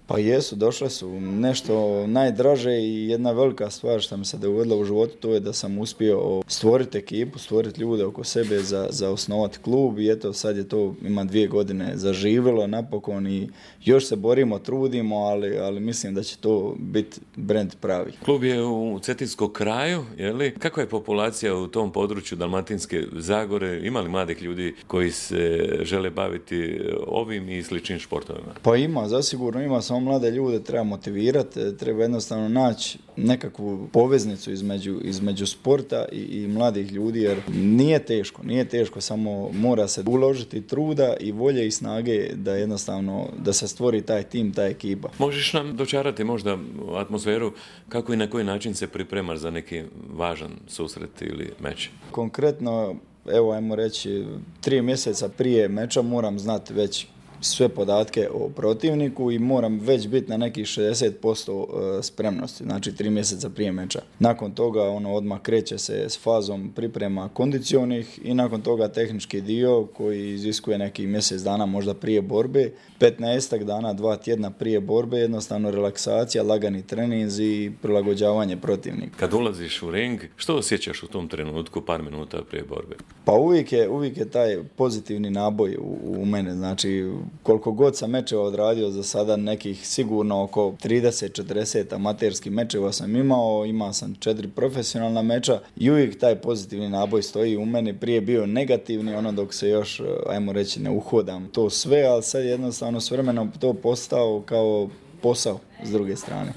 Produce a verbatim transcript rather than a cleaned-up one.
Pa jesu, došle su. Nešto najdraže i jedna velika stvar što mi se dogodila u životu, to je da sam uspio stvoriti ekipu, stvoriti ljude oko sebe za, za osnovati klub i eto sad je to, ima dvije godine zaživjelo napokon i još se borimo, trudimo, ali, ali mislim da će to biti brand pravi. Klub je u Cetinskom kraju, je li? Kakva je populacija u tom području Dalmatinske Zagore? Ima li mladih ljudi koji se žele baviti ovim i sličnim športovima? Pa ima, zasigurno ima, samo mlade ljude treba motivirati, treba jednostavno naći nekakvu poveznicu između, između sporta i, i mladih ljudi, jer nije teško, nije teško, samo mora se uložiti truda i volje i snage da jednostavno, da se stvori taj tim, ta ekipa. Možeš nam dočarati možda atmosferu kako i na koji način se pripremaš za neki važan susret ili meč? Konkretno, evo ajmo reći, tri mjeseca prije meča moram znati već sve podatke o protivniku i moram već biti na nekih šezdeset posto spremnosti, znači tri mjeseca prije meča. Nakon toga ono odmah kreće se s fazom priprema kondicionih i nakon toga tehnički dio koji iziskuje neki mjesec dana možda prije borbe, petnaestak dana, dva tjedna prije borbe, jednostavno relaksacija, lagani treninzi i prilagođavanje protivnika. Kad ulaziš u ring, što osjećaš u tom trenutku par minuta prije borbe? Pa uvijek je, uvijek je taj pozitivni naboj u, u mene, znači koliko god sam mečeva odradio za sada, nekih sigurno oko trideset četrdeset amaterskih mečeva sam imao, imao sam četiri profesionalna meča i uvijek taj pozitivni naboj stoji u meni, prije bio negativni, ono dok se još, ajmo reći, ne uhodam to sve, ali sad jednostavno s vremenom to postao kao posao s druge strane.